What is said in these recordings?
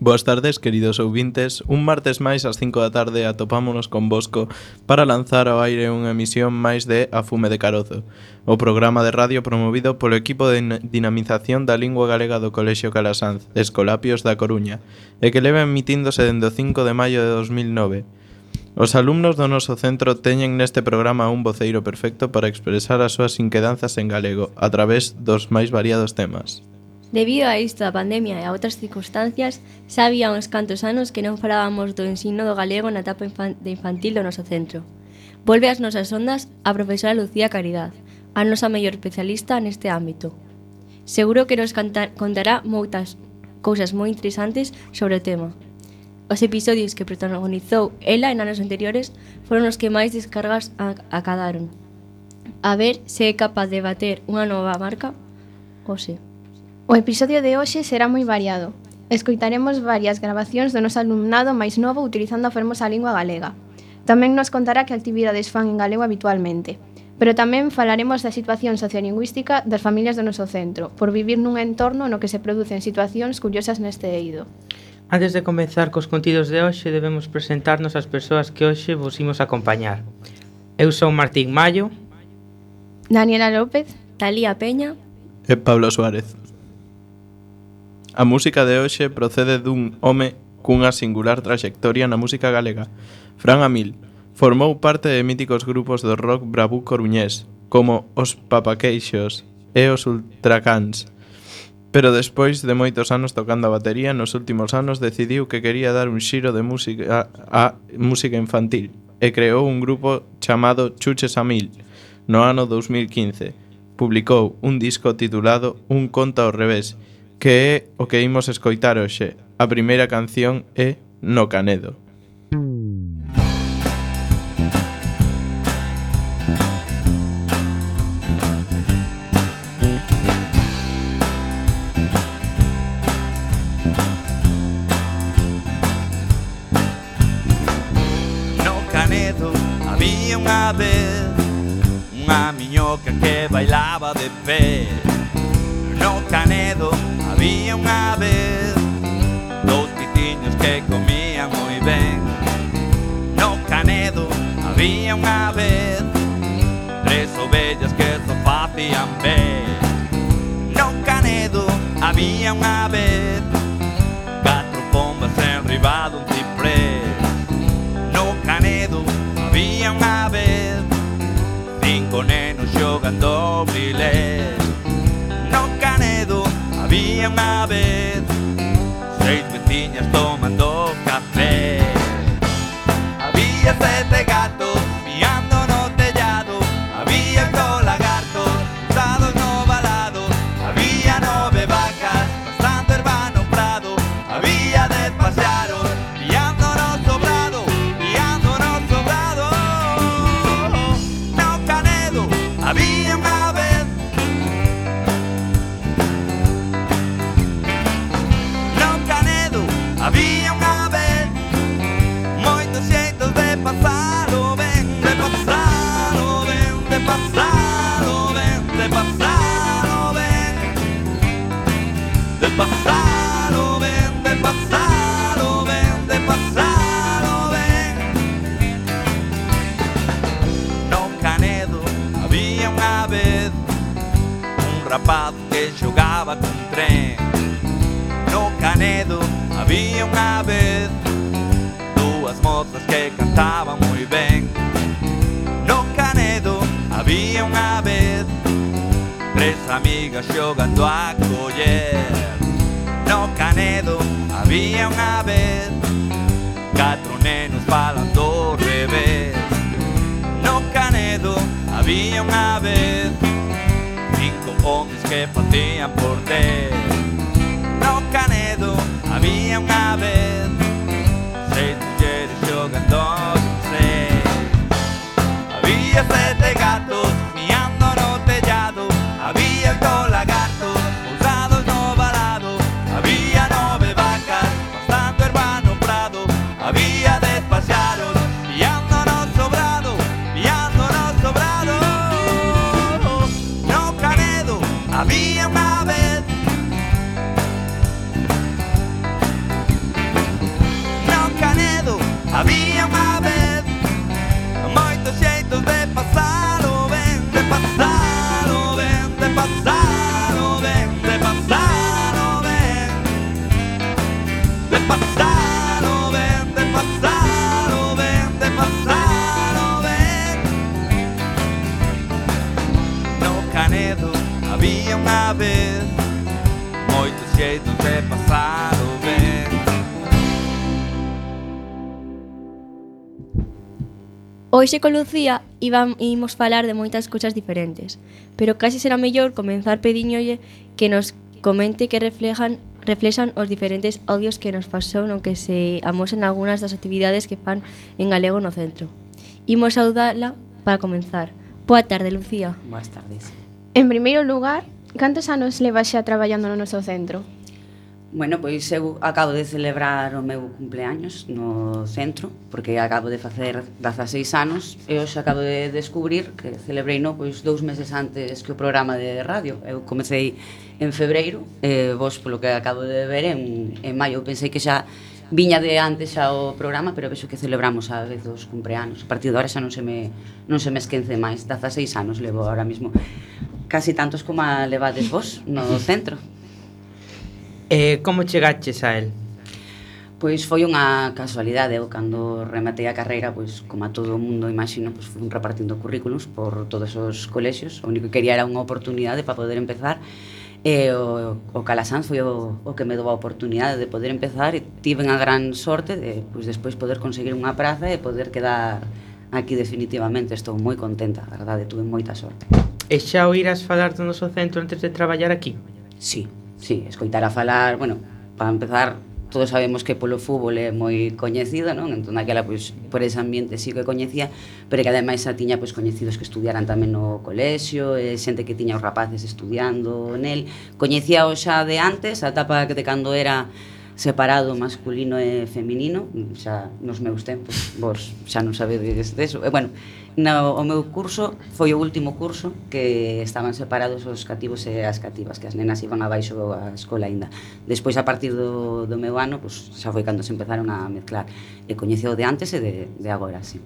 Boas tardes, queridos ouvintes. Un martes máis ás 5 da tarde atopámonos convosco para lanzar ao aire unha emisión máis de A Fume de Carozo, o programa de radio promovido polo equipo de dinamización da lingua galega do Colexio Calasanz, Escolapios da Coruña, e que leva emitíndose dende o 5 de maio de 2009. Os alumnos do noso centro teñen neste programa un voceiro perfecto para expresar as súas inquedanzas en galego a través dos máis variados temas. Debido a isto da pandemia e a outras circunstancias, xa había uns cantos anos que non falábamos do ensino do galego na etapa de infantil do noso centro. Volve ás nosas ondas a profesora Lucía Caridad, a nosa mellor especialista neste ámbito. Seguro que nos contará moitas cousas moi interesantes sobre o tema. Os episodios que protagonizou ela en anos anteriores foron os que máis descargas acadaron. A ver se é capaz de bater unha nova marca ou se... O episodio de hoxe será moi variado. Escoitaremos varias grabacións do noso alumnado máis novo utilizando a fermosa lingua galega. Tamén nos contará que actividades fan en galego habitualmente. Pero tamén falaremos da situación sociolingüística das familias do noso centro, por vivir nun entorno no que se producen situacións curiosas neste eido. Antes de comezar cos contidos de hoxe, debemos presentarnos as persoas que hoxe vos imos acompañar. Eu son Martín Mayo, Daniela López, Talía Peña e Pablo Suárez. A música de hoxe procede dun home cunha singular traxectoria na música galega. Fran Amil formou parte de míticos grupos do rock bravú coruñés, como os Papaqueixos e os Ultracans. Pero despois de moitos anos tocando a batería, nos últimos anos decidiu que quería dar un xiro de música a música infantil e creou un grupo chamado Chuches Amil. No ano 2015 publicou un disco titulado Un conto ao revés, que é o que imos escoitar hoxe. A primeira canción é No Canedo. No Canedo había unha vez unha miñoca que bailaba de pé. No Canedo había unha vez dous pitiños que comían moi ben. No Canedo había unha vez tres ovellas que só facían ben. No Canedo había unha vez catro pombas enriba dun ciprés. No Canedo había unha vez cinco nenos xogando brilés. No Canedo había unha vez seis veciñas tomando café. Había sete gatos miando no tellado. Había oito lagartos usados no valado. Había nove vacas pastando herba no prado. Había 10 paxaros piando no sobrado, piando no sobrado. No Canedo había unha vez. Había unha vez moitos xeitos de pasalo ben, de pasalo ben, de pasalo ben, de pasalo ben, de pasalo ben, de pasalo ben, de pasalo ben. No Canedo había unha vez un rapaz que xogaba cun tren. No Canedo había unha vez dúas mozas que cantaban moi ben. No Canedo había unha vez tres amigas xogando a coller. No Canedo había unha vez catro nenos falando ao revés. No Canedo había unha vez cinco homes que facían por 10. No Canedo había unha vez seis mulleres xogando un seis. Había sete gatos miando no tellado. Había oito lagartos pousados no valado. Había nove vacas pastando herba no prado. Había 10 paxaros piando no sobrado, piando no sobrado. No Canedo había unha vez había unha vez moitos xeitos de pasar o ben. Hoxe con Lucía imos falar de moitas cousas diferentes, pero casi será mellor comenzar pediñolle que nos comente que reflexan os diferentes audios que nos pasou no que se amosen algunhas das actividades que fan en galego no centro. Imos saudala para comenzar. Boa tarde, Lucía. Boas tardes. En primeiro lugar, cantos anos levas xa traballando no noso centro? Bueno, pois eu acabo de celebrar o meu cumpleaños no centro, porque acabo de facer 16 anos, e hoxe acabo de descubrir que celebrei pois 2 meses antes que o programa de radio. Eu comecei en febreiro, e vos, polo que acabo de ver, en maio. Eu pensei que xa viña de antes xa o programa, pero vexo que celebramos a vez os cumpleanos. A partir de ahora xa non se me esquence máis. 16 anos levo ahora mismo, casi tantos como a levades vos no centro. Como chegaches a el? Pois foi unha casualidade. Eu cando rematei a carreira, pois como a todo o mundo imagino, pois fui repartindo currículums por todos os colexios. O único que quería era unha oportunidade para poder empezar, e o Calasanz foi o que me dou a oportunidade de poder empezar, e tive a gran sorte de pois despois poder conseguir unha praza e poder quedar aquí definitivamente. Estou moi contenta, a verdade, tuve moita sorte. E xa oirás falar do noso centro antes de traballar aquí? Sí, escoitar a falar, bueno, para empezar, todos sabemos que polo fútbol é moi coñecido, non? Entón, aquela, pois, por ese ambiente sí que coñecía, pero que ademais xa tiña, pois, coñecidos que estudiaran tamén no colexio, e xente que tiña os rapaces estudiando nel. Coñecía o xa de antes, a etapa de cando era separado masculino e feminino, xa nos meus tempos, vos xa non sabedes deso. E, bueno, o meu curso foi o último curso que estaban separados os cativos e as cativas, que as nenas iban abaixo a escola aínda. Despois, a partir do meu ano, pois, xa foi cando se empezaron a mezclar, e coñeceu de antes e de agora, sí.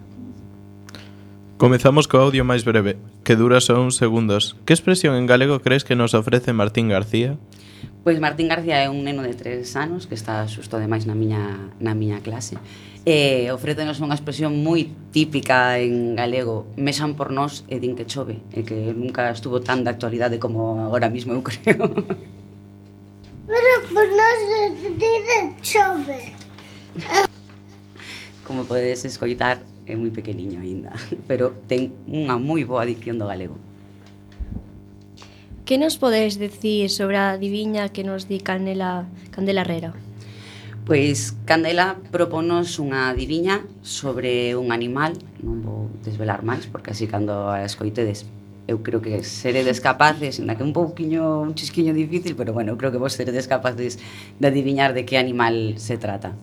Comezamos co audio máis breve, que dura só uns segundos. Que expresión en galego crees que nos ofrece Martín García? Pois Martín García é un neno de 3 anos que está xusto ademais na miña clase, e ofrécenos unha expresión moi típica en galego: mexan por nós e din que chove, e que nunca estuvo tan de actualidade como agora mismo, eu creo. Pero por nós din chove. Como podedes escoitar, é moi pequeniño aínda, pero ten unha moi boa dicción do galego. Que nos podes decir sobre a adiviña que nos di Candela Herrera? Pois Candela proponos unha adiviña sobre un animal. Non vou desvelar máis, porque así cando a escoitedes eu creo que seredes capaces, ainda que un chisquiño difícil, pero bueno, eu creo que vos seredes capaces de adiviñar de que animal se trata.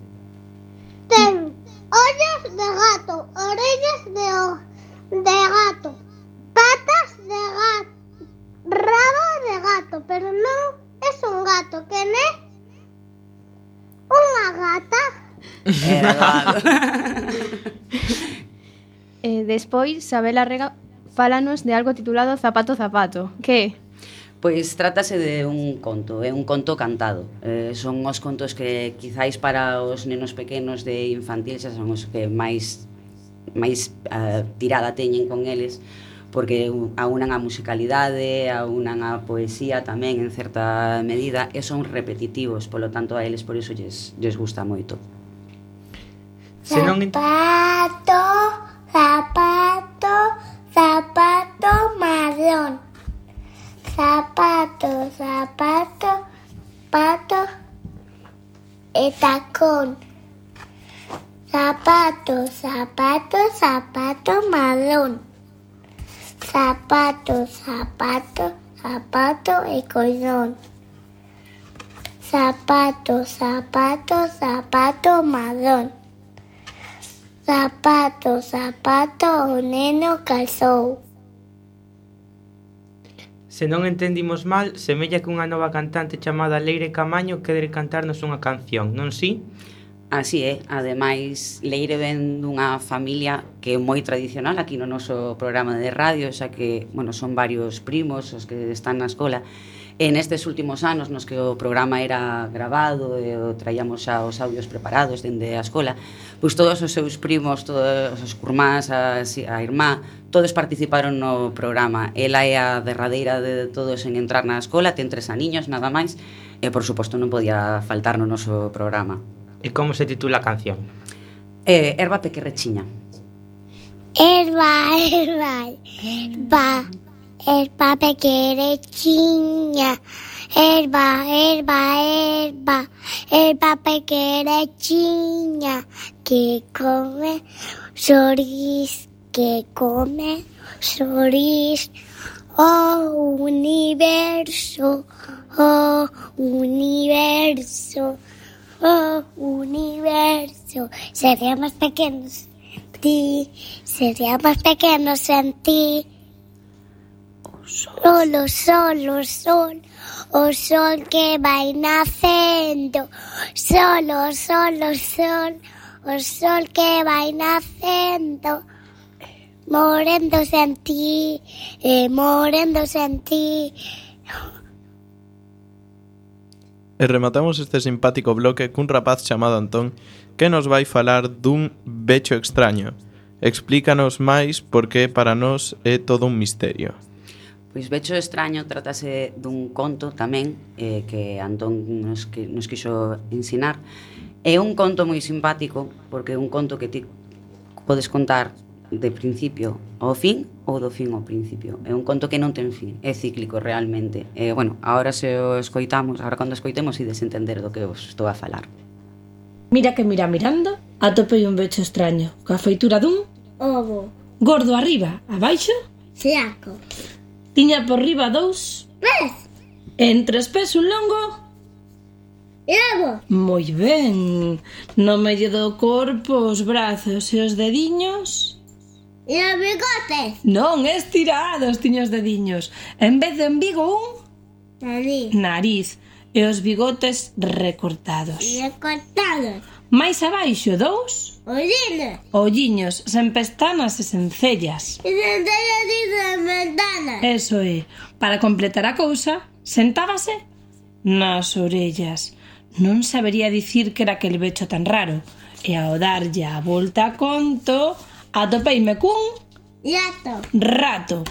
Ten ollos de gato, orellas de gato, patas de gato, rabo de gato, pero non é un gato, que é unha gata. Despois, Sabela Rega fálanos de algo titulado Zapato Zapato. Que é? Pois trátase de un conto, é un conto cantado. Son os contos que quizáis para os nenos pequenos de infantil xa son os que máis tirada teñen con eles, porque aunan a musicalidade, aunan a poesía tamén en certa medida, e son repetitivos, polo tanto a eles por iso lles gusta moito. Zapato, zapato, zapato marrón. Zapato, zapato, pato e tacón. Zapato, zapato, zapato marrón. Zapato, zapato, zapato e collón. Zapato, zapato, zapato marrón. Zapato, zapato, o neno calzou. Se non entendimos mal, semella que unha nova cantante chamada Leire Camaño quere cantarnos unha canción, non si? Así é, ademais Leire ven dunha familia que é moi tradicional aquí no noso programa de radio, xa que, bueno, son varios primos os que están na escola, E nestes últimos anos nos que o programa era grabado e traíamos xa os audios preparados dende a escola, pois todos os seus primos, todos os curmás, a irmá, todos participaron no programa. Ela é a derradeira de todos en entrar na escola, ten 3 aniños, nada máis, e por suposto non podía faltar no noso programa. E como se titula a canción? Erva pequerrechiña. Erva, erva, erva, erva pequerrechiña. Erva, erva, erva, erva pequerrechiña. Que come sorís, que come sorís. Oh, universo, oh, universo, oh, universo. Seríamos pequenos en ti, seríamos pequenos en ti. Solo, solo, sol, o sol que vai nacendo. Solo, solo, sol, o sol que vai nacendo. Moréndose en ti, moréndose en ti. E rematamos este simpático bloque cun rapaz chamado Antón que nos vai falar dun becho extraño. Explícanos máis porque para nós é todo un misterio. Pois Becho extraño trátase dun conto tamén que Antón nos quixo ensinar. É un conto moi simpático porque é un conto que ti podes contar de principio ao fin ou do fin ao principio. É un conto que non ten fin, é cíclico realmente. Bueno, agora se o escoitamos, agora cando escoitemos ides entender do que vos estou a falar. Mira que mirando, atopei un becho extraño, coa feitura dun Ovo, gordo arriba, abaixo, flaco, tiña por riba 2, pez, en 3 pés un longo. lobo, Moi ben, no medio do corpo os brazos e os dediños. e os bigotes, Non, estirados tiña os dediños. En vez de embigo un nariz, nariz e os bigotes recortados. recortados, Mais abaixo 2, ollines, olliños sen pestanas e sen cellas. e centellas de ventanas. Eso é, para completar a cousa, sentábase nas orellas. Non sabería dicir que era aquel becho tan raro. E ao darlle a volta a conto, atopeime cun Gato, rato.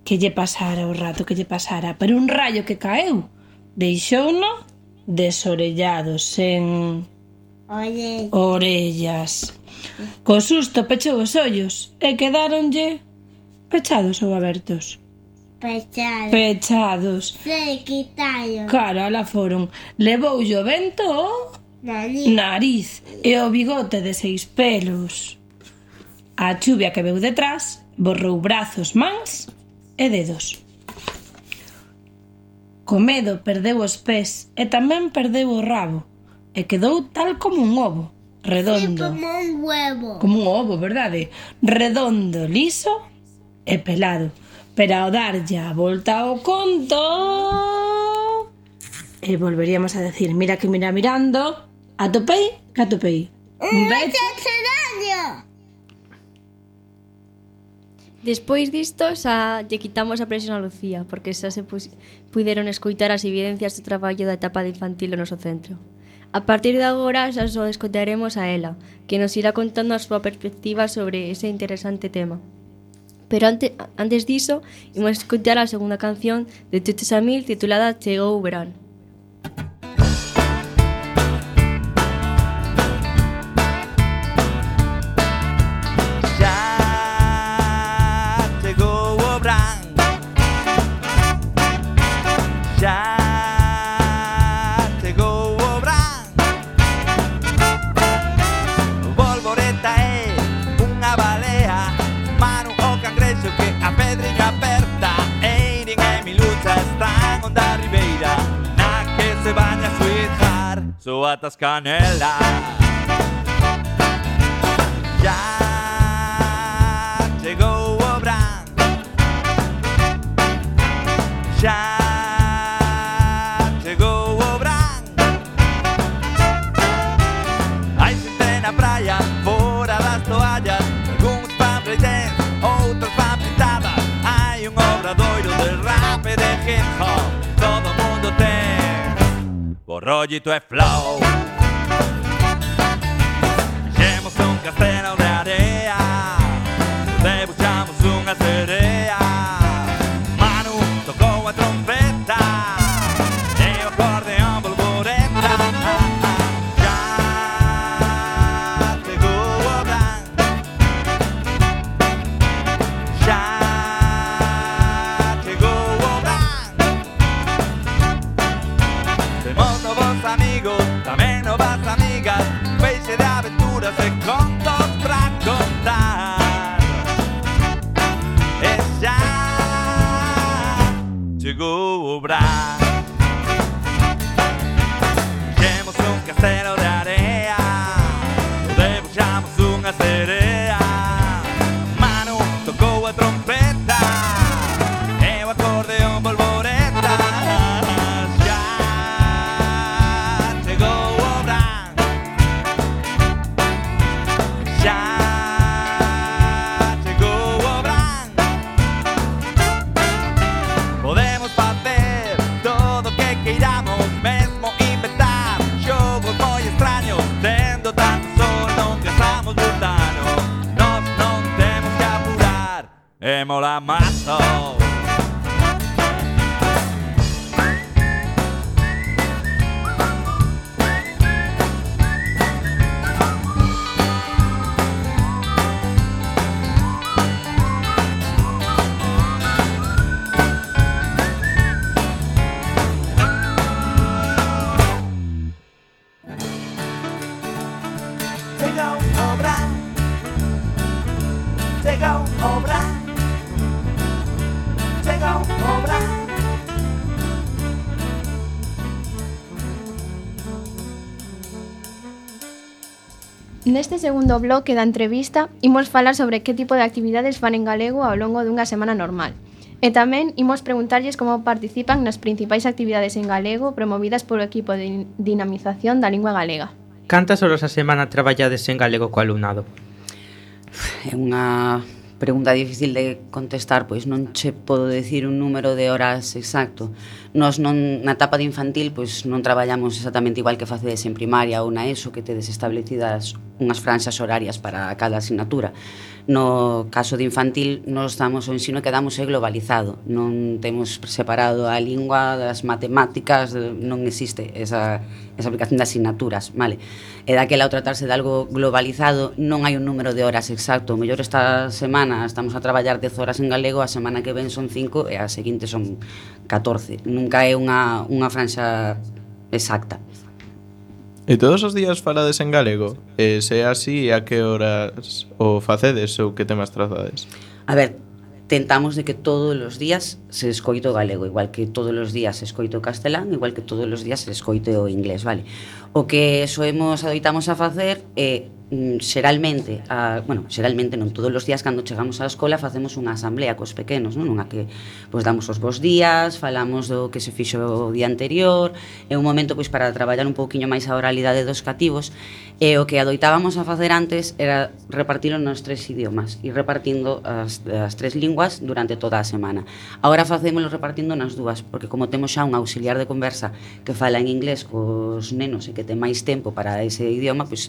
Que lle pasara o rato, que lle pasara? Pero un rayo que caeu deixouno desorellado, sen oye, orellas. Co susto pechou os ollos e quedáronlle pechados ou abertos? pechado, Pechados. se quitaron, Cara, ala foron. Levoulle o vento o nariz, nariz e o bigote de 6 pelos. A chuvia que veu detrás borrou brazos, mans e dedos. Co medo perdeu os pés e tamén perdeu o rabo e quedou tal como un ovo, redondo. como un huevo, Como un ovo, verdade? Redondo, liso e pelado. Pero ao darlle a volta ao conto... E volveríamos a decir, mira que mirando, atopei, que atopei. Un becho. extraño. Despois disto xa lle quitamos a presión a Lucía, porque xa se puideron escoitar as evidencias do traballo da etapa de infantil no noso centro. A partir de agora xa só escoitaremos a ela, que nos irá contando a súa perspectiva sobre ese interesante tema. Pero antes diso, imos escoitar a segunda canción de Chucho Samil titulada Chegou o verán. Soatas canela. Ya chegou o verán. Ya chegou o verán. Hai xente na praia, fora das toallas. Algúns fan breakdance, outros fan pintadas. Hai un obradoiro de rap e de hip hop. rollito e flow. Fixemos un castelo de area, debuxamos unha serea. Manu tocou a trompeta e o acordeón bolboreta. Já chegou o gran, já chegou o gran. Temos novos amigos, tamén novas amigas, feixe de aventuras e contos pra contar. E xa chegou o Bran. Fixemos un castelo de area, debuxamos unha serea. Manu tocou a trompeta e o acordeón bolboreta. Xa chegou o Bran, xa chegou o Bran. Podemos facer todo o que queiramos, mesmo inventar xogos moi extraños. Tendo tanto sol non gastamos butano, nós non temos que apurar, e mola mazo. Chegou o Bran, chegou o Bran, chegou o Bran. Neste segundo bloque da entrevista imos falar sobre que tipo de actividades fan en galego ao longo dunha semana normal. E tamén imos preguntarlles como participan nas principais actividades en galego promovidas polo equipo de dinamización da lingua galega. Cantas horas a semana traballades en galego co alumnado? É unha pregunta difícil de contestar, pois non che podo decir un número de horas exacto. Nós non, na etapa de infantil, pois non traballamos exactamente igual que facedes en primaria ou na ESO, que tedes establecidas unhas franxas horarias para cada asignatura. No caso de infantil, nós damos o ensino que damos é globalizado. Non temos separado a lingua das matemáticas, non existe esa aplicación de asignaturas, vale? E daquela ao tratarse de algo globalizado non hai un número de horas exacto. O mellor esta semana estamos a traballar 10 horas en galego, a semana que ven son 5 e a seguinte son 14. Nunca é unha franxa exacta. E todos os días falades en galego? E se é así, a que horas o facedes ou que temas trazades? A ver, tentamos de que todos os días se escoite o galego, igual que todos os días se escoite o castelán, igual que todos os días se escoite o inglés, vale? O que adoitamos a facer é xeralmente non todos os días cando chegamos á escola facemos unha asamblea cos pequenos, non? Unha que pois damos os bons días, falamos do que se fixo o día anterior, é un momento pois para traballar un pouquiño máis a oralidade dos cativos, e o que adoitábamos a facer antes era repartilo nos 3 idiomas e repartindo as 3 linguas durante toda a semana. Agora facémolo repartindo nas dúas, porque como temos xa un auxiliar de conversa que fala en inglés cos nenos e que ten máis tempo para ese idioma, pois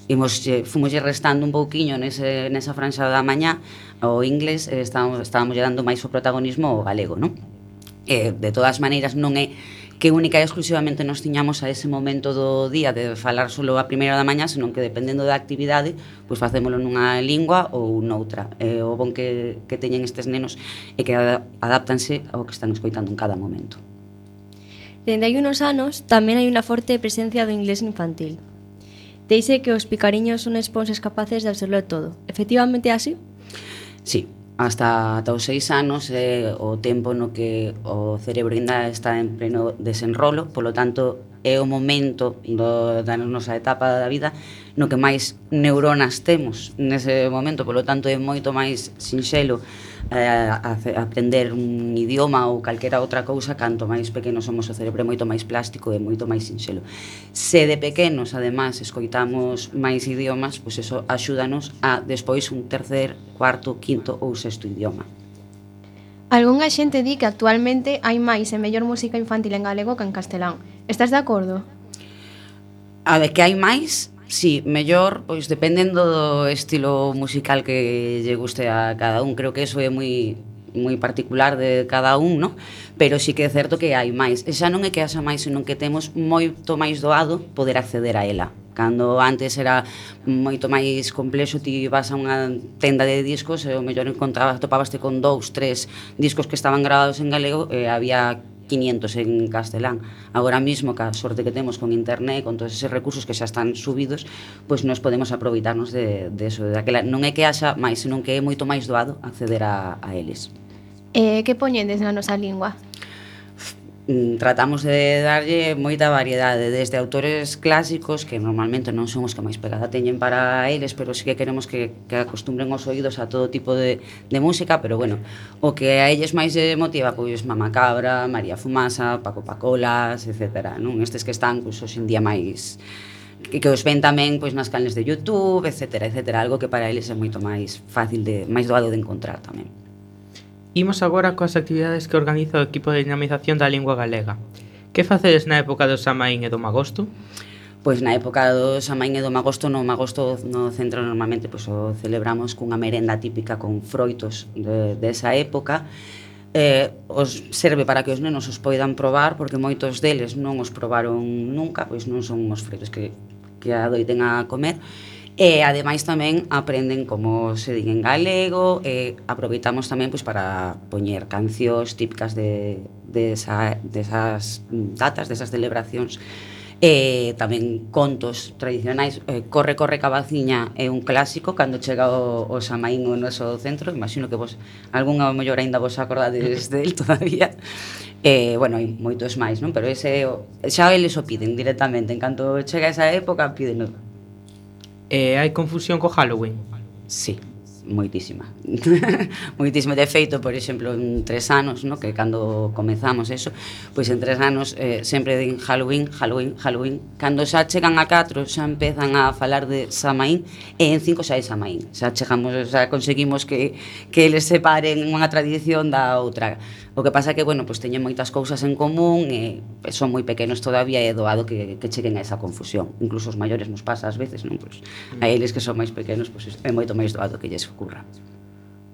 fomos restando un pouquiño nesa franxa da mañá o inglés, estábamos dando máis o protagonismo ao galego, non? De todas maneiras non é que única e exclusivamente nos tiñamos a ese momento do día de falar solo a primeira da mañá, senón que dependendo da actividade, pois facémolo nunha lingua ou noutra. O bon que teñen estes nenos é que adáptanse ao que están escoitando en cada momento. Dende hai unos anos tamén hai unha forte presencia do inglés infantil. Dice que os picariños son esponxas capaces de absorber todo. Efectivamente é así? Sí, hasta os 6 anos é o tempo no que o cerebro ainda está en pleno desenrolo, polo tanto é o momento da nosa etapa da vida no que máis neuronas temos nese momento, polo tanto é moito máis sinxelo aprender un idioma ou calquera outra cousa. Canto máis pequenos somos, o cerebro é moito máis plástico e moito máis sinxelo. Se de pequenos, además, escoitamos máis idiomas, pois eso axúdanos a despois un tercer, cuarto, quinto ou sexto idioma. Algúnha xente di que actualmente hai máis e mellor música infantil en galego que en castelán. Estás de acordo? A ver, que hai máis? Sí, mellor, pois dependendo do estilo musical que lle guste a cada un. Creo que eso é moi particular de cada un, ¿no? Pero sí que é certo que hai máis. E xa non é que haxa máis, senón que temos moito máis doado poder acceder a ela. Cando antes era moito máis complexo, ti vas a unha tenda de discos e o mellor topabaste con 2, 3 discos que estaban grabados en galego e había 500 en castelán. Agora mismo, ca sorte que temos con internet, con todos eses recursos que xa están subidos, pois nos podemos aproveitarnos de eso. Non é que haxa máis, senón que é moito máis doado acceder a eles. Que poñedes na nosa lingua? Tratamos de darlle moita variedade, desde autores clásicos, que normalmente non son os que máis pegada teñen para eles, pero sí que queremos que acostumbren os oídos a todo tipo de música, pero bueno, o que a eles máis motiva, pois Mama Cabra, María Fumasa, Paco Pacolas, etc. Non? Estes que están, pois, hoxe en día máis que os ven tamén pois nas canles de YouTube, etc. Algo que para eles é moito máis fácil, máis doado de encontrar tamén. Imos agora coas actividades que organiza o equipo de dinamización da lingua galega. Que facedes na época do Samaín e do Magosto? Pois na época do Samaín e do Magosto, no centro normalmente pois o celebramos cunha merenda típica con froitos desa época. Os serve para que os nenos os poidan probar, porque moitos deles non os probaron nunca, pois non son uns froitos que adoiten a comer. E ademais tamén aprenden como se din en galego, e aproveitamos tamén pois para poñer cancións típicas desas datas, desas celebracións, e tamén contos tradicionais. Corre cabaciña é un clásico cando chega o Samaín ao noso centro. Imagino que vos algunha mellor aínda vos acordades del todavía. Bueno, hai moitos máis, non? Pero ese xa eles o piden directamente, en canto chega esa época pídenlo. Hai confusión co Halloween? Sí, moitísima. Moitísimo. De feito, por exemplo, en 3 anos, no, que cando comezamos eso, pois en 3 anos sempre din Halloween. Cando xa chegan a 4 xa empezan a falar de Samaín, e en 5 xa é Samaín. Xa conseguimos que eles separen unha tradición da outra. O que pasa é que, bueno, pois teñen moitas cousas en común e son moi pequenos todavía, e é doado que cheguen a esa confusión. Incluso os maiores nos pasa ás veces, non? Pois a eles que son máis pequenos, pois é moito máis doado que lles ocurra.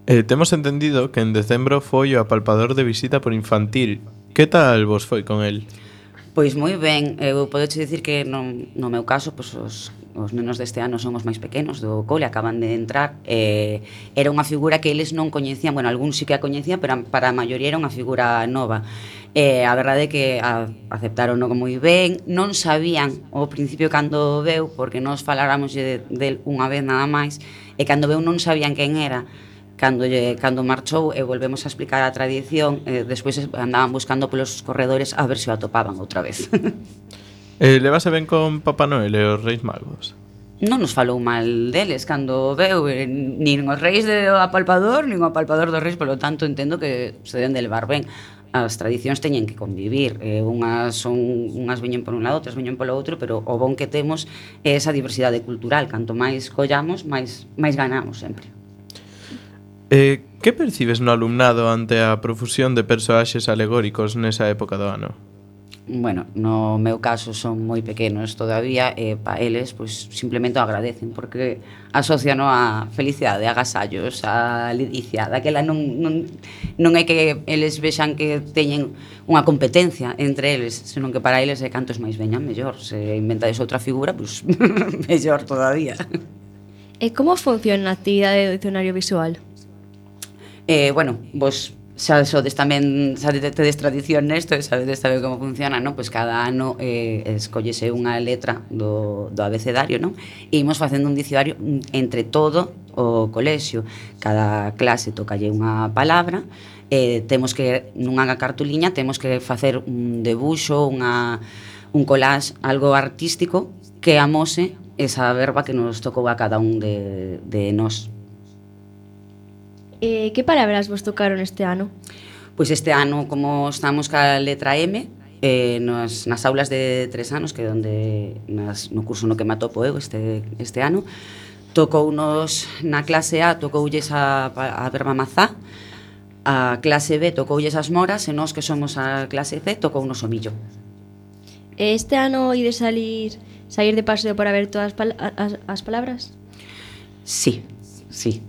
Temos entendido que en decembro foi o apalpador de visita por infantil. Que tal vos foi con el? Pois moi ben, eu podeche dicir que no meu caso, pois os nenos deste ano son os máis pequenos do cole, acaban de entrar. Era unha figura que eles non coñecían, bueno, algún sí que a coñecían, pero para a maioría era unha figura nova. A verdade é que aceptaron moi ben, non sabían ao principio cando veu, porque nós faláramos del unha vez nada máis, e cando veu non sabían quen era. Cando marchou e volvemos a explicar a tradición, despois andaban buscando polos corredores a ver se o atopaban outra vez. Levase ben con Papá Noel e os Reis Magos? Non nos falou mal deles cando veu, nin os reis do apalpador, nin o apalpador dos reis, polo tanto entendo que se deben de levar ben. As tradicións teñen que convivir, unhas veñen por un lado, outras veñen polo outro, pero o bon que temos é esa diversidade cultural. Canto máis collamos, máis ganamos sempre. Que percibes no alumnado ante a profusión de persoaxes alegóricos nesa época do ano? Bueno, no meu caso son moi pequenos todavía, e pa eles pois simplemente o agradecen, porque asocian a felicidade, a agasallos, a ledicia. Daquela non é que eles vexan que teñen unha competencia entre eles, senón que para eles é cantos máis veñan mellor. Se inventades outra figura, pois mellor todavía. E como funciona a actividade do dicionario visual? Bueno, vos xa sodes tamén, xa tedes tradición nesto, sabedes saber como funciona, non? Pois cada ano escollese unha letra do abecedario, non? E imos facendo un dicionario entre todo o colexio. Cada clase tocalle unha palabra, temos que, nunha cartuliña, temos que facer un debuxo, un collage, algo artístico que amose esa verba que nos tocou a cada un de nós. Que palabras vos tocaron este ano? Pois este ano, como estamos ca letra M, nas aulas de 3 anos, que é onde no curso no que me atopo eu este ano, tocounos na clase A, tocoulles a verba mazá, a clase B tocoulles as moras, e nós que somos a clase C tocounos o millo. Este ano ides salir sair de paseo para ver todas as palabras? Sí,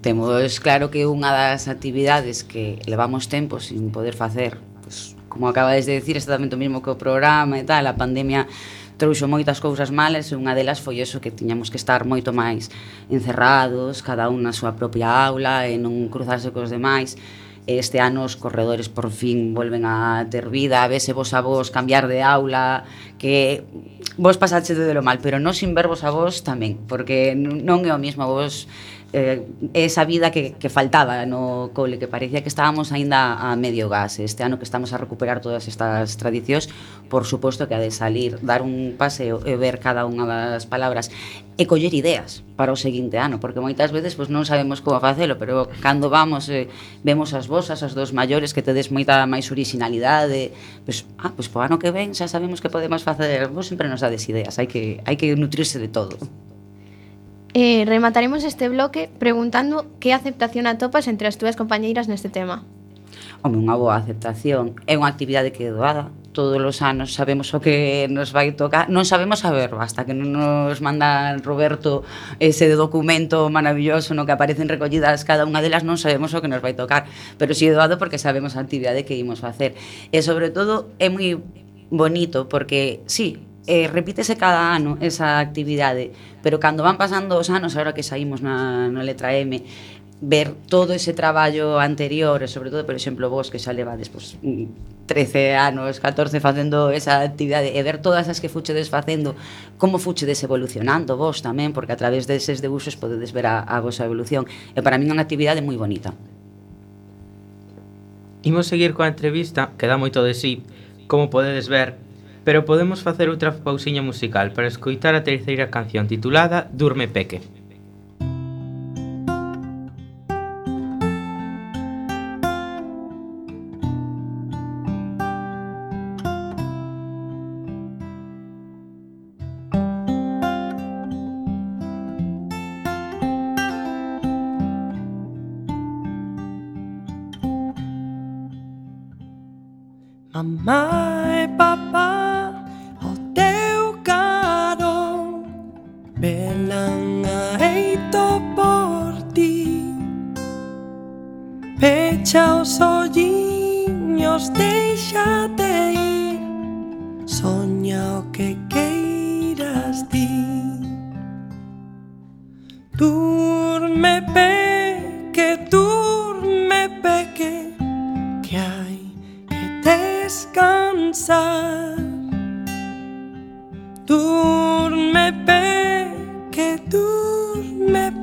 temos claro que unha das actividades que levamos tempo sin poder facer, pues, como acabades de decir, exactamente o mesmo que o programa e tal, a pandemia trouxo moitas cousas malas e unha delas foi eso, que tiñamos que estar moito máis encerrados, cada un na súa propia aula e non cruzarse cos demais. Este ano os corredores por fin volven a ter vida, a vese vos a vos cambiar de aula, que vos pasaxe de lo mal, pero non sin ver vos a vos tamén, porque non é o mismo vos esa vida que faltaba no cole, que parecía que estábamos aínda a medio gas. Este ano que estamos a recuperar todas estas tradicións, por suposto que ha de salir, dar un paseo e ver cada unha das palabras e coller ideas para o seguinte ano, porque moitas veces pues, non sabemos como facelo, pero cando vamos vemos as vosas, as dos maiores, que tedes moita máis originalidade, pues po ano que ven xa sabemos que podemos facer. Vos sempre nos dades ideas, hai que nutrirse de todo. Remataremos este bloque preguntando que aceptación atopas entre as túas compañeiras neste tema. Home, unha boa aceptación. É unha actividade que é doada. Todos os anos sabemos o que nos vai tocar. Non sabemos saberlo, hasta que non nos manda Roberto ese documento maravilloso no que aparecen recollidas cada unha delas, non sabemos o que nos vai tocar. Pero si é doado porque sabemos a actividade que imos facer. E sobre todo é moi bonito porque, sí, repítese cada ano esa actividade, pero cando van pasando os anos, agora que saímos na letra M, ver todo ese traballo anterior, e sobre todo, por exemplo, vos que xa levades pues, 13 anos, 14 facendo esa actividade, e ver todas as que fuchedes facendo, como fuchedes evolucionando vos tamén, porque a través deses debuxos podedes ver a vosa evolución, e para min é unha actividade moi bonita. Imos seguir coa entrevista, que dá moito de sí, como podedes ver, pero podemos facer outra pausiña musical para escoitar a terceira canción titulada Durme Peque. Mamá e papá, o teu caro velan aeito por ti. Pecha os olliños, déixate ir, soña o que queiras ti. Durme peque, que hai descansar. Durme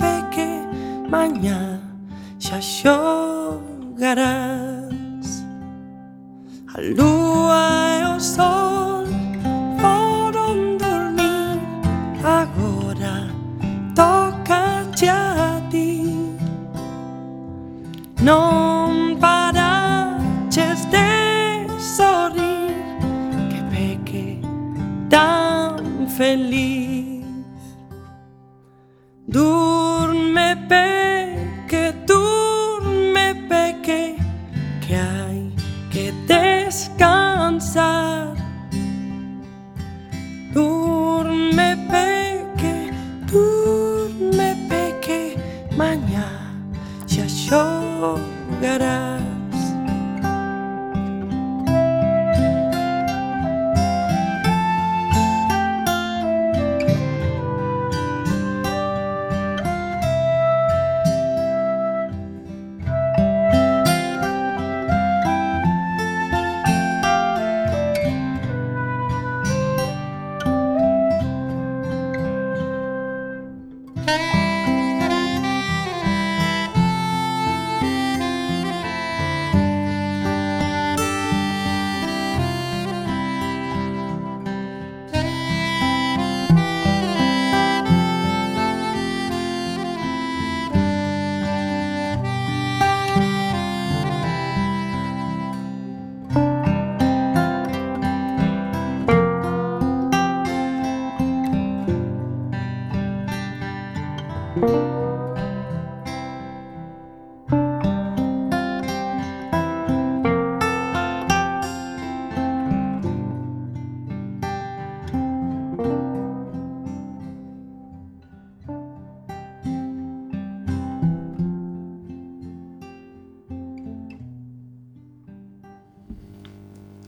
peque, mañá xa xogarás. A lúa e o sol foron dormir, agora toca a ti. Non paraches de sorrir, que peque tan feliz. Durme peque, que hai que descansar. Durme peque, mañá xa xogarás.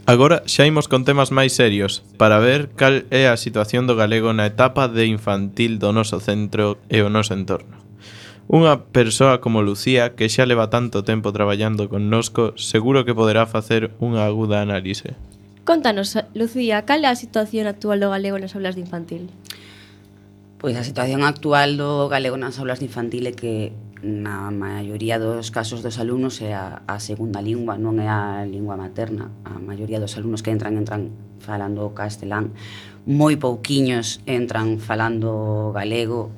Agora xa imos con temas máis serios para ver cal é a situación do galego na etapa de infantil do noso centro e o noso entorno. Unha persoa como Lucía, que xa leva tanto tempo traballando connosco, seguro que poderá facer unha aguda análise. Contanos, Lucía, cal é a situación actual do galego nas aulas de infantil? Pois a situación actual do galego nas aulas de infantil é que na maioría dos casos dos alumnos é a segunda lingua, non é a lingua materna. A maioría dos alumnos que entran falando castelán, moi pouquiños entran falando galego.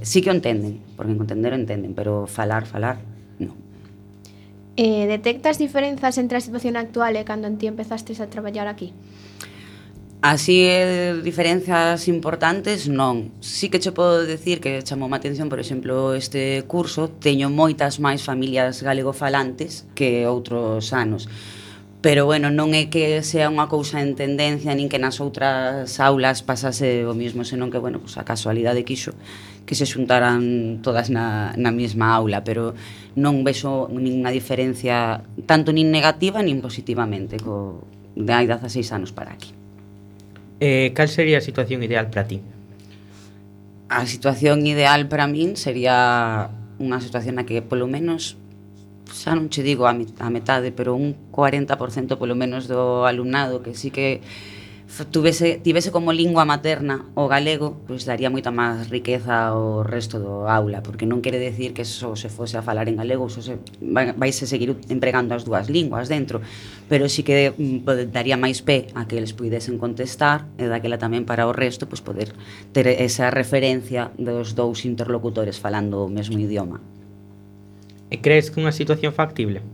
Sí que o entenden, porque entender o entenden, pero falar, non. Detectas diferenzas entre a situación actual e cando ti empezastes a traballar aquí? Así, diferenzas importantes, non. Sí que che podo decir que chamou a atención, por exemplo, este curso teño moitas máis familias galegofalantes que outros anos. Pero, bueno, non é que sea unha cousa en tendencia, nin que nas outras aulas pasase o mismo, senón que, bueno, pues a casualidade quixo que se xuntaran todas na mesma aula, pero non vexo ninguna diferencia, tanto nin negativa nin positivamente, de hai 16 anos para aquí. Cal sería a situación ideal para ti? A situación ideal para min sería unha situación na que polo menos, xa non che digo a metade, pero un 40% polo menos do alumnado que sí que tivese como lingua materna o galego, pois daría moita máis riqueza ao resto do aula, porque non quere decir que só se fose a falar en galego, vaise seguir empregando as dúas linguas dentro, pero sí que daría máis pé a que eles puidesen contestar e daquela tamén para o resto pois poder ter esa referencia dos dous interlocutores falando o mesmo idioma. E crees que unha situación factible?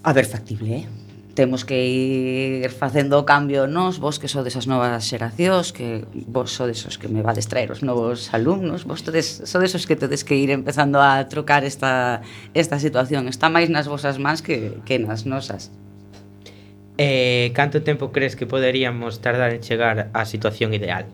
A ver, factible, temos que ir facendo o cambio nós, vos que sodes as novas xeracións, que vos sodes os que me vades traer os novos alumnos, vos sodes os que tedes que ir empezando a trocar esta situación. Está máis nas vosas mans que nas nosas. Canto tempo crees que poderíamos tardar en chegar á situación ideal?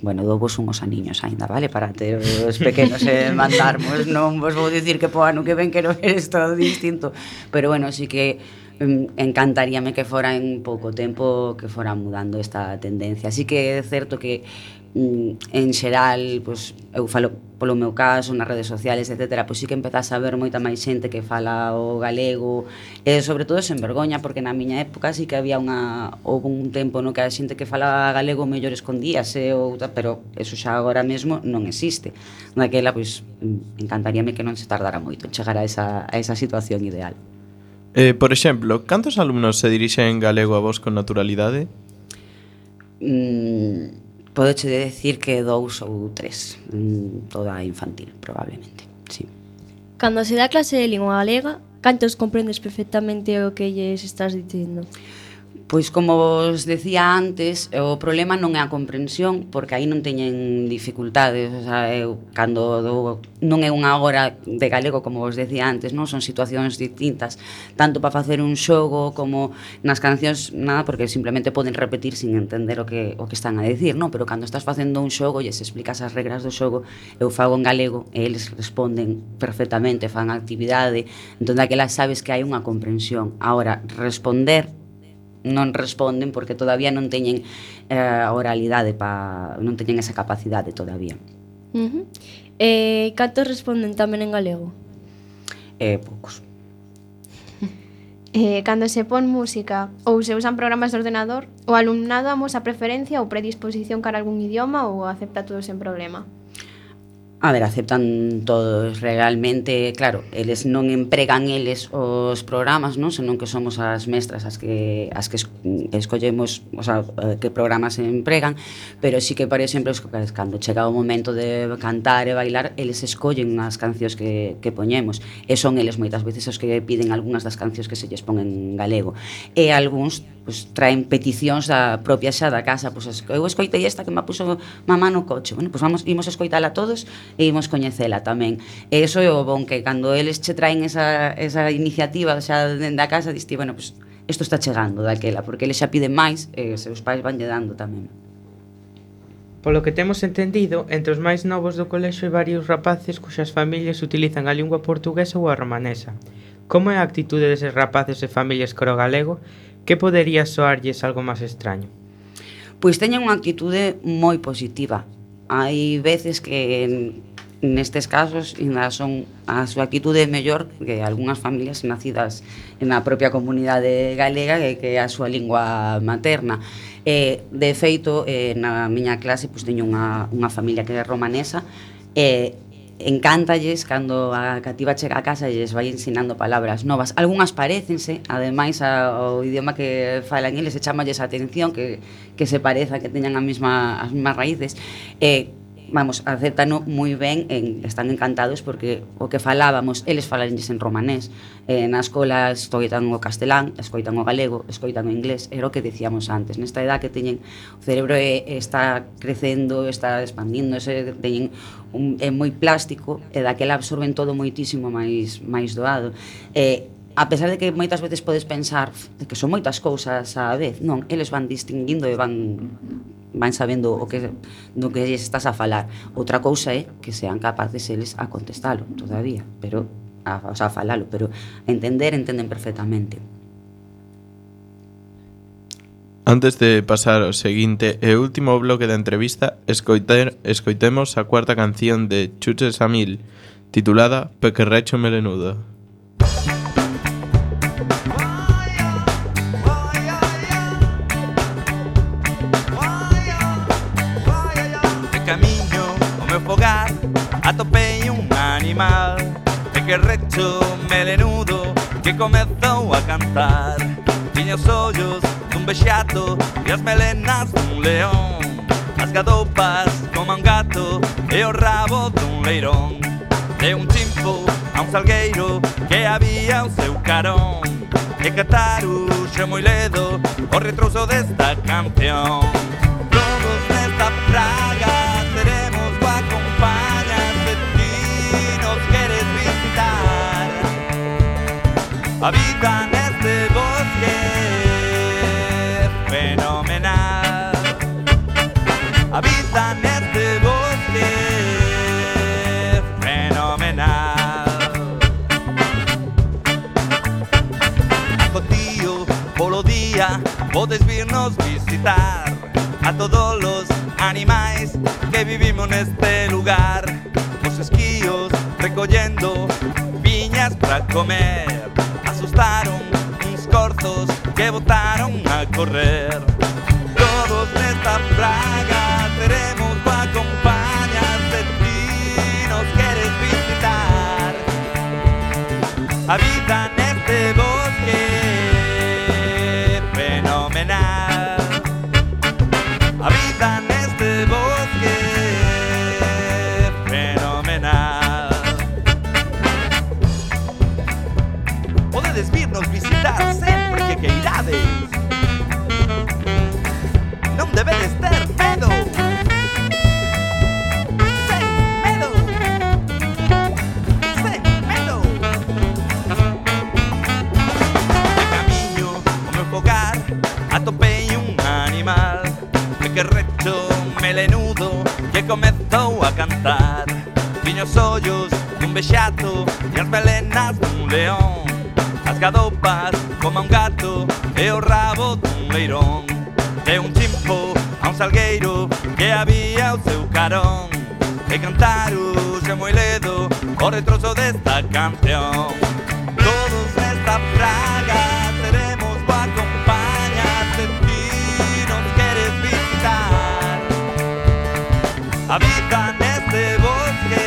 Bueno, douvos unhos aniños aínda, vale? Para ter os pequenos e mandarmos. Non vos vou dicir que po ano que ven quero ver isto distinto, pero bueno, sí que encantaríame que fora en pouco tempo que fora mudando esta tendencia. Así que é certo que en xeral, pois, eu falo polo meu caso, nas redes sociales, etc., pois sí que empezase a ver moita máis xente que fala o galego, e sobre todo sen vergoña, porque na miña época sí que había houve un tempo no que a xente que falaba galego mellor escondíase, pero eso xa agora mesmo non existe. Daquela, pois, encantaríame que non se tardara moito en chegar a esa situación ideal. Por exemplo, cantos alumnos se dirixen en galego a vos con naturalidade? Podeche decir que 2 ou 3, toda infantil, probablemente, sí. Cando se dá clase de lingua galega, cantos comprendes perfectamente o que lles estás dicindo? Pois como vos decía antes, o problema non é a comprensión, porque aí non teñen dificultades, o sea, non é unha hora de galego, como vos decía antes, non son situacións distintas, tanto para facer un xogo como nas cancións, nada, porque simplemente poden repetir sin entender o que están a decir, non? Pero cando estás facendo un xogo e se explicas as regras do xogo, eu fago en galego e eles responden perfectamente, fan a actividade, entón daquela sabes que hai unha comprensión. Agora, responder non responden porque todavía non teñen a oralidade, non teñen esa capacidade todavía. Cantos responden tamén en galego? Poucos. Cando se pon música ou se usan programas de ordenador, o alumnado amosa preferencia ou predisposición cara a algún idioma ou acepta todo sen problema? A ver, aceptan todos realmente, claro, eles non empregan eles os programas, non? Senón que somos as mestras as que escollemos, o sea, que programas se empregan, pero sí que, por exemplo, cando chega o momento de cantar e bailar, eles escollen as cancións que poñemos, e son eles moitas veces os que piden algunhas das cancións que se lles pon en galego, e algúns pois traen peticións da propia xa da casa, pois eu escoitei esta que me puso mamá no coche. Bueno, pois imos escoitala todos e imos coñecela tamén. E iso é o bon, que cando eles che traen esa iniciativa xa dende a casa, diste, bueno, pois isto está chegando daquela, porque eles xa piden máis e seus pais vanlle dando tamén. Polo que temos entendido, entre os máis novos do colexio hai varios rapaces cuxas familias utilizan a lingua portuguesa ou a romanesa. Como é a actitude deses rapaces e familias cro galego? Que podería soarlles algo máis extraño? Pois teñen unha actitude moi positiva. Hai veces que nestes casos ainda son a súa actitude mellor que algunhas familias nacidas na propia comunidade galega que é a súa lingua materna. De feito, na miña clase pois teño unha familia que é romanesa e encántalles cando a cativa chega a casa e lles vai ensinando palabras novas. Algunhas parécense, ademais ao idioma que falan eles, e chamalles a atención que se pareza, que teñan as mesmas raíces. Vamos, acéptano moi ben, están encantados porque o que falábamos, eles falanlles en romanés. Na escola escoitan o castelán, escoitan o galego, escoitan o inglés, era o que decíamos antes. Nesta edad que teñen, o cerebro está crecendo, está expandíndose, teñen é moi plástico, e daquela absorben todo moitísimo máis doado. A pesar de que moitas veces podes pensar que son moitas cousas á vez, non, eles van distinguindo e van sabendo do que lles estás a falar. Outra cousa é que sean capaces eles a contestalo todavía, pero a falalo, pero a entenden perfectamente. Antes de pasar ao seguinte e último bloque da entrevista, escoitemos a cuarta canción de Chuches a Mil, titulada Pequerrecho Melenudo. Fogar, atopei un animal pequerrecho melenudo que comezou a cantar. Tiña os ollos dun vexato e as melenas dun león, as gadopas como un gato e o rabo dun leirón. De un chimpo a un salgueiro que había o seu carón, e Cataru xe moi ledo o retrouso desta canción. Todos nesta praga seremos acompañas de ti, nos queres visitar. Habita neste bosque fenomenal. Habita neste bosque fenomenal. Acotío polo día podes virnos visitar a todos los animais que vivimos neste lugar. Os esquíos recollendo piñas para comer, asustaron uns corzos que botaron a correr. Todos nesta praga seremos acompañas de ti, nos queres visitar. Habita neste bosque fenomenal. Habita neste bosque fenomenal. Podedes virnos visitar sempre que queirades. Non debedes ter medo. Sen medo. Sen medo. De camiño ao meu fogar atopei un animal pequerrecho melenudo que comezou a cantar. Tiña os ollos dun vexato e as melenas dun león, as gadopas como un gato e o rabo dun leirón. De un chimpo a un salgueiro que había o seu carón, e Cataru xe moi ledo o retroso desta canción. Todos nesta praga seremos acompañas de ti, nos queres visitar. Habita neste bosque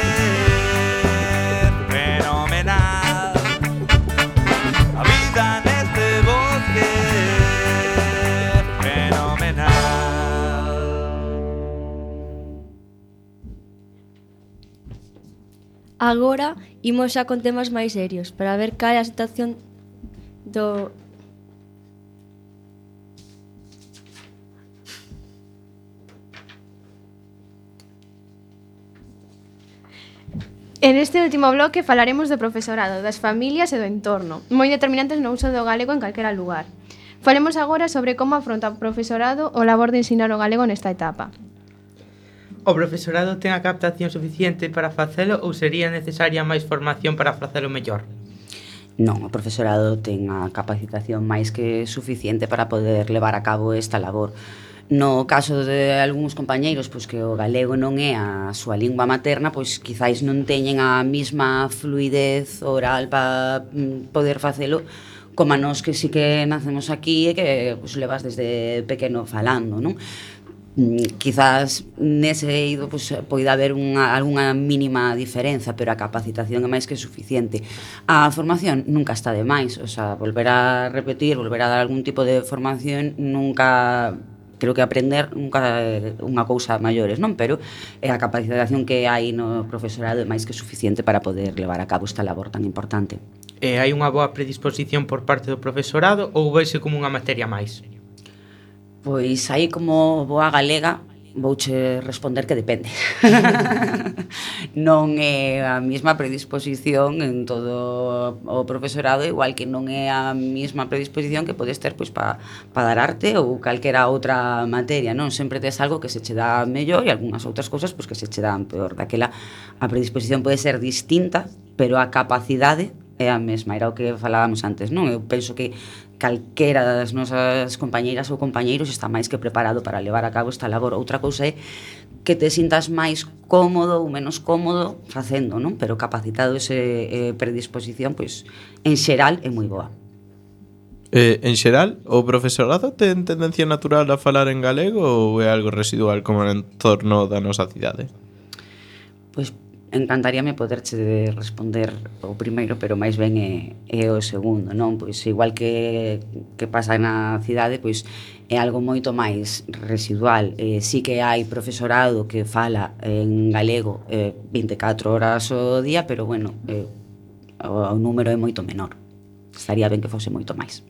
fenomenal. Habita neste bosque fenomenal. Agora imos xa con temas máis serios para ver cal é a situación do En este último bloque falaremos do profesorado, das familias e do entorno, moi determinantes no uso do galego en calquera lugar. Falemos agora sobre como afronta o profesorado o labor de ensinar o galego nesta etapa. O profesorado ten a captación suficiente para facelo ou sería necesaria máis formación para facelo mellor? Non, o profesorado ten a capacitación máis que suficiente para poder levar a cabo esta labor. No caso de algúns compañeiros pois que o galego non é a súa lingua materna, pois quizáis non teñen a mesma fluidez oral para poder facelo como a nós que sí que nacemos aquí e que pois, levas desde pequeno falando, non? Quizás nese eido pois, poida haber algunha mínima diferenza, pero a capacitación é máis que suficiente. A formación nunca está de máis, o sea, volver a repetir, volver a dar algún tipo de formación nunca... Creo que aprender nunca é unha cousa maiores, non? Pero a capacitación que hai no profesorado é máis que suficiente para poder levar a cabo esta labor tan importante. E hai unha boa predisposición por parte do profesorado ou veise como unha materia máis? Pois aí como boa galega vouche responder que depende. Non é a mesma predisposición en todo o profesorado, igual que non é a mesma predisposición que podes ter pois para dar arte ou calquera outra materia, non? Sempre tes algo que se che dá mellor e algunhas outras cousas pois que se che dan peor. Daquela a predisposición pode ser distinta, pero a capacidade é a mesma, era o que falábamos antes, non? Eu penso que calquera das nosas compañeiras ou compañeiros está máis que preparado para levar a cabo esta labor. Outra cousa é que te sintas máis cómodo ou menos cómodo facendo, non? Pero capacitado ese predisposición, pois, en xeral é moi boa. En xeral, o profesorado ten tendencia natural a falar en galego ou é algo residual como no entorno da nosa cidade? Pois encantaríame poderche responder o primeiro, pero máis ben é o segundo, non? Pois igual que pasa na cidade, pois é algo moito máis residual. Sí que hai profesorado que fala en galego 24 horas ao día, pero bueno, o número é moito menor. Estaría ben que fose moito máis.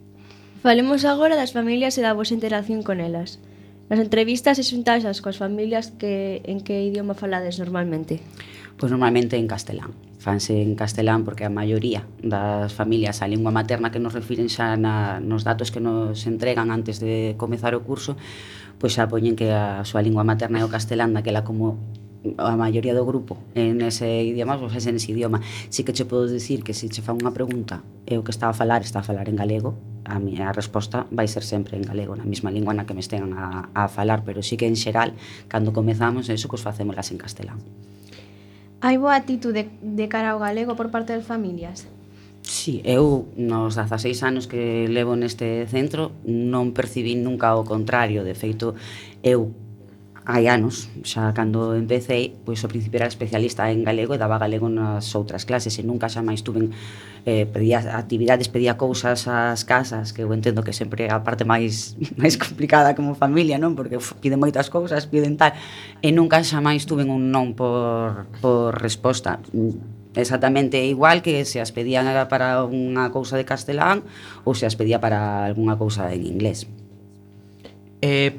Falemos agora das familias e da vosa interacción con elas. Nas entrevistas e xuntaxas coas familias en que idioma falades normalmente? Pois normalmente en castelán. Fanse en castelán porque a maioría das familias a lingua materna que nos refiren xa nos datos que nos entregan antes de comezar o curso, pois xa poñen que a súa lingua materna é o castelán, daquela como a maioría do grupo en ese idioma, pois é nese idioma. Si que che podo dicir que se che fa unha pregunta e o que está a falar en galego, a miña resposta vai ser sempre en galego, na mesma lingua na que me estean a falar, pero sí que en xeral, cando comezamos eso, pois facémolas en castelán. Hai boa actitude de cara ao galego por parte das familias? Sí, eu nos 16 anos que levo neste centro non percibín nunca o contrario. De feito, eu hai anos, xa cando empecé, pois ao principio era especialista en galego e daba galego nas outras clases e nunca xa máis tuven pedía actividades, pedía cousas ás casas, que eu entendo que sempre é a parte máis complicada como familia, non? Porque piden moitas cousas, piden tal, e nunca xa máis tuven un non por resposta. Exactamente igual que se as pedían para unha cousa de castelán ou se as pedía para algunha cousa en inglés.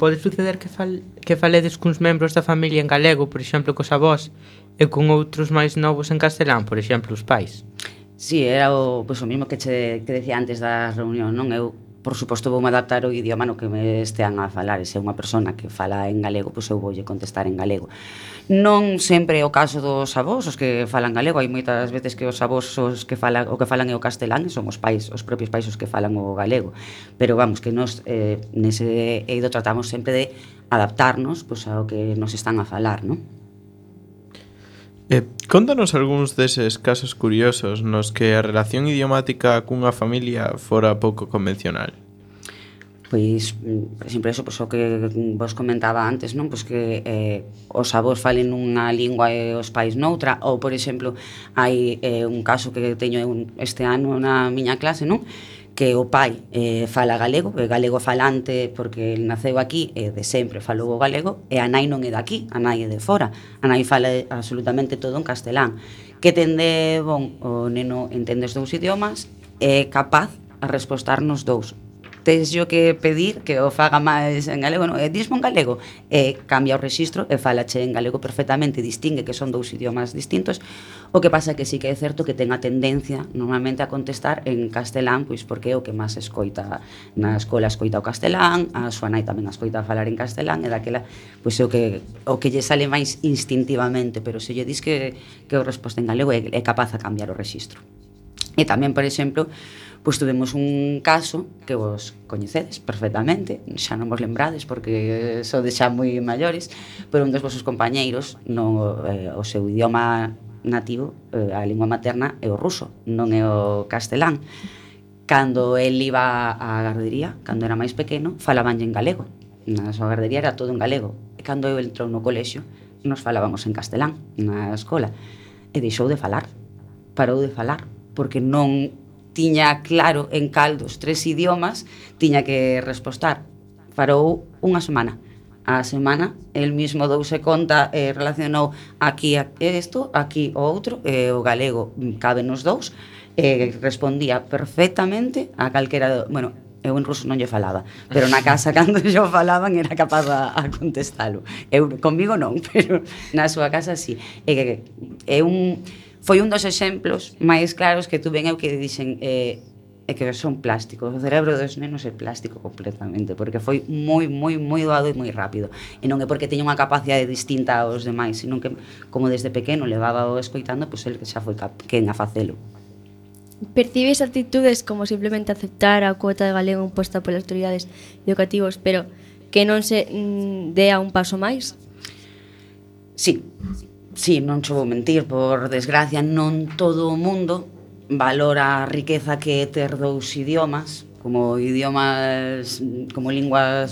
Pode suceder que faledes cuns membros da familia en galego, por exemplo, cos avós, e con outros máis novos en castelán, por exemplo, os pais? Sí, era o mesmo que decía antes da reunión, non? Eu, por suposto, voume adaptar ao idioma no que me estean a falar. E se é unha persona que fala en galego, pois eu voulle contestar en galego. Non sempre é o caso dos avós, os que falan galego. Hai moitas veces que os avós o que falan é o castelán e son os propios pais os que falan o galego. Pero vamos, que nos nese eido tratamos sempre de adaptarnos pois ao que nos están a falar, non? Contanos algúns deses casos curiosos nos que a relación idiomática cunha familia fora pouco convencional. Pois, por exemplo, eso, pois, o que vos comentaba antes, non? Pois que os avós falen nunha lingua e os pais noutra, ou, por exemplo, hai un caso que teño este ano na miña clase, non? Que o pai fala galego, é galego falante porque el naceu aquí e de sempre falou o galego, e a nai non é daqui, a nai é de fora. A nai fala absolutamente todo en castelán. Que tende, o neno entende os dous idiomas, é capaz a respostarnos dous. Tes yo que pedir que o faga máis en galego, non? Dismo en galego, cambia o rexistro e falache en galego perfectamente, distingue que son dous idiomas distintos. O que pasa é que sí que é certo que ten a tendencia normalmente a contestar en castelán, pois porque é o que máis escoita na escola, escoita o castelán, a súa nai tamén escoita falar en castelán, e daquela pois é o que lle sale máis instintivamente, pero se lle dis que o resposta en galego é capaz a cambiar o rexistro. E tamén, por exemplo, pois tuvemos un caso que vos coñecedes perfectamente, xa non vos lembrades porque sodes xa moi maiores, pero un dos vosos compañeiros o seu idioma nativo, a lingua materna é o ruso, non é o castelán. Cando el iba á gardería, cando era máis pequeno, falabanlle en galego. Na súa gardería era todo en galego. E cando eu entrou no colexio, nos falábamos en castelán na escola. E deixou de falar, parou de falar, porque non tiña claro en cal dos 3 idiomas tiña que respostar. Parou unha semana. A semana, el mismo douse conta e relacionou aquí isto, aquí o outro, e o galego cabe nos dous, e respondía perfectamente a calquera... Bueno, eu en ruso non lle falaba, pero na casa cando yo falaban era capaz a contestalo. Eu comigo non, pero na súa casa sí. Foi un dos exemplos máis claros que tuve eu que dixen que son plásticos. O cerebro dos nenos é plástico completamente, porque foi moi doado e moi rápido. E non é porque teña unha capacidade distinta aos demais, sino que como desde pequeno levaba o escoitando, pois el xa foi quen a facelo. Percibes actitudes como simplemente aceptar a cuota de galego imposta polas autoridades educativas, pero que non se dea un paso máis? Sí, non che vou mentir, por desgracia non todo o mundo valora a riqueza que é ter 2 idiomas como linguas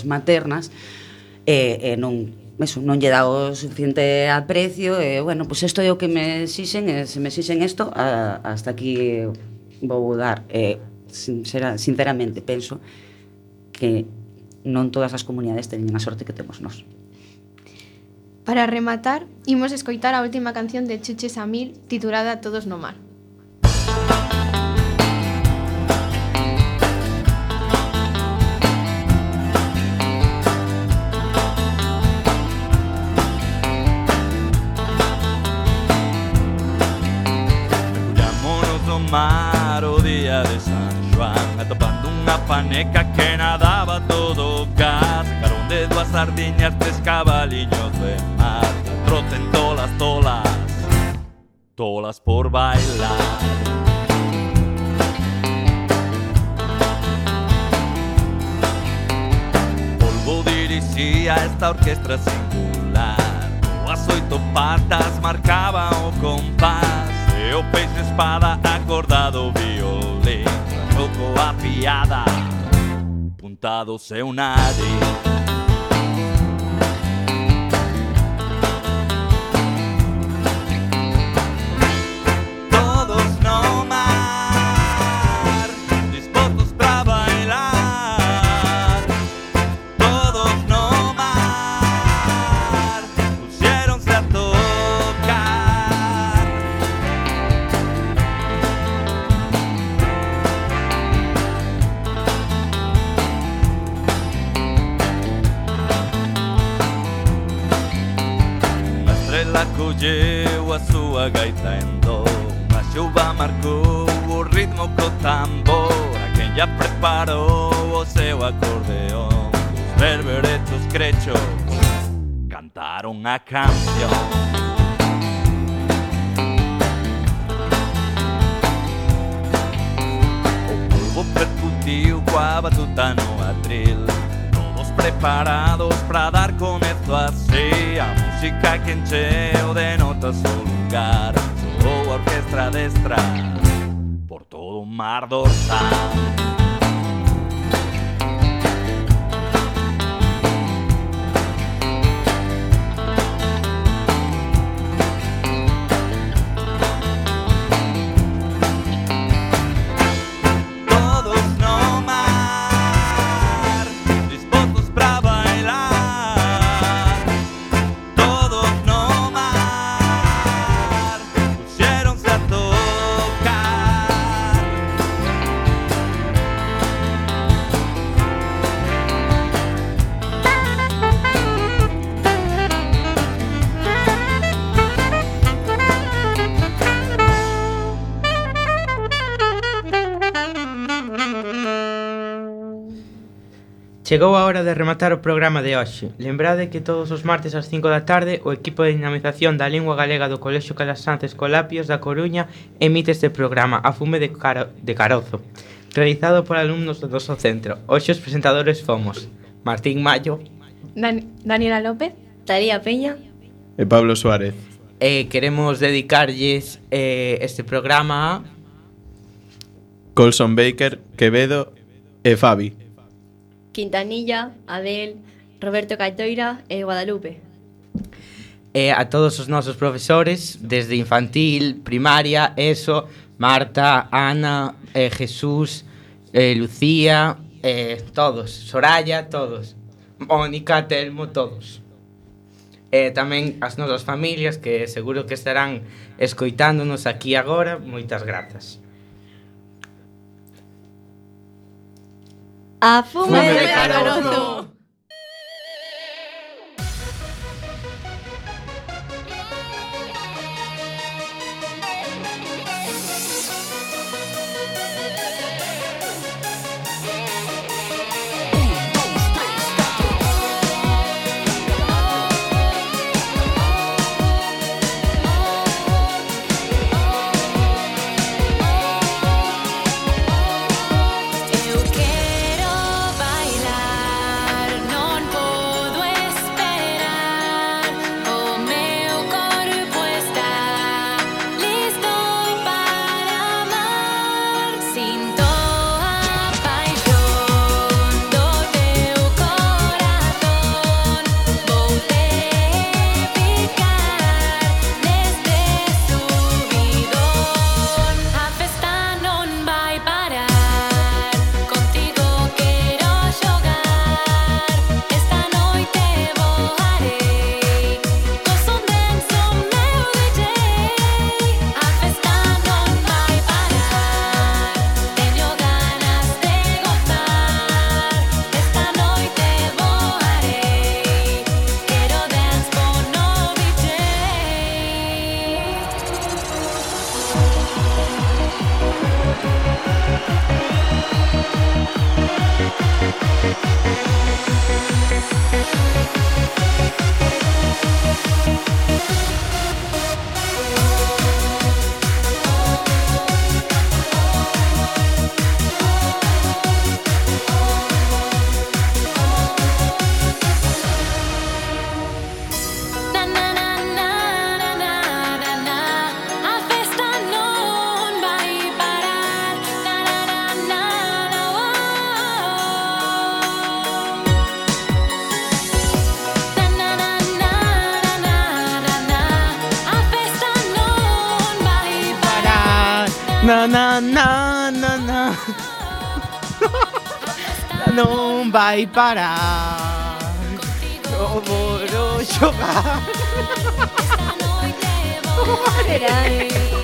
maternas e non lle dá o suficiente aprecio e, bueno, pois isto é o que me exixen e se me exixen isto, hasta aquí vou dar. Sinceramente, penso que non todas as comunidades teñen a sorte que temos nós. Para rematar, imos escoitar a última canción de Chuche Samil titulada Todos no mar. Mergullámonos no mar o día de San Xoán, atopando unha paneca que nadaba todo gas. Sacaron de 2 sardiñas 3 cabaliños de mar, trocen tolas por bailar. Polvo dirixía esta orquestra singular, as 8 patas marcaban o compás e o peixe espada acordado o violín, tocou a piada, puntado o seu nariz. Colleu a súa gaita en do, a xuva marcou o ritmo co tambor, a quen ya preparou o seu acordeón. Os berberetos crechos cantaron a canción. O polvo percutiu coa batuta no atril, preparados para dar comezo así a música que encheu de notas o lugar. Soou a orquestra destra por todo o mar dorsal. Chegou a hora de rematar o programa de hoxe. Lembrade que todos os martes ás 5 da tarde o equipo de dinamización da lingua galega do Colexio Calasanz Escolapios da Coruña emite este programa A fume de carozo, realizado por alumnos do noso centro. Hoxe os presentadores fomos Martín Mayo, Daniela López, Talía Peña E Pablo Suárez. queremos dedicarlles este programa a Colson Baker, Quevedo e Fabi. Quintanilla, Adel, Roberto Caitoira e Guadalupe. a todos os nosos profesores, desde infantil, primaria, ESO, Marta, Ana, Jesús, Lucía, todos, Soraya, todos, Mónica, Telmo, todos. Tamén as nosas familias que seguro que estarán escoitándonos aquí agora. Moitas grazas. A fume de carozo. Eu quero bailar, non podo esperar. O meu corpo está listo para amar. Sinto a paixón do teu corazón. Vou-te picar neste subidón. A festa non vai parar. Contigo quero xogar. Esta noite voarei. Co son denso meu DJ. A festa non vai parar. Teño ganas de gozar. Esta noite voarei. Quero dance con no DJ. Na na na na na na na na. A festa non vai parar. Na na na na na. Na na na na na na na. A festa non vai parar. Na na na na na. Non vai parar. Eu vou xogar. Esta noite Será, voarei.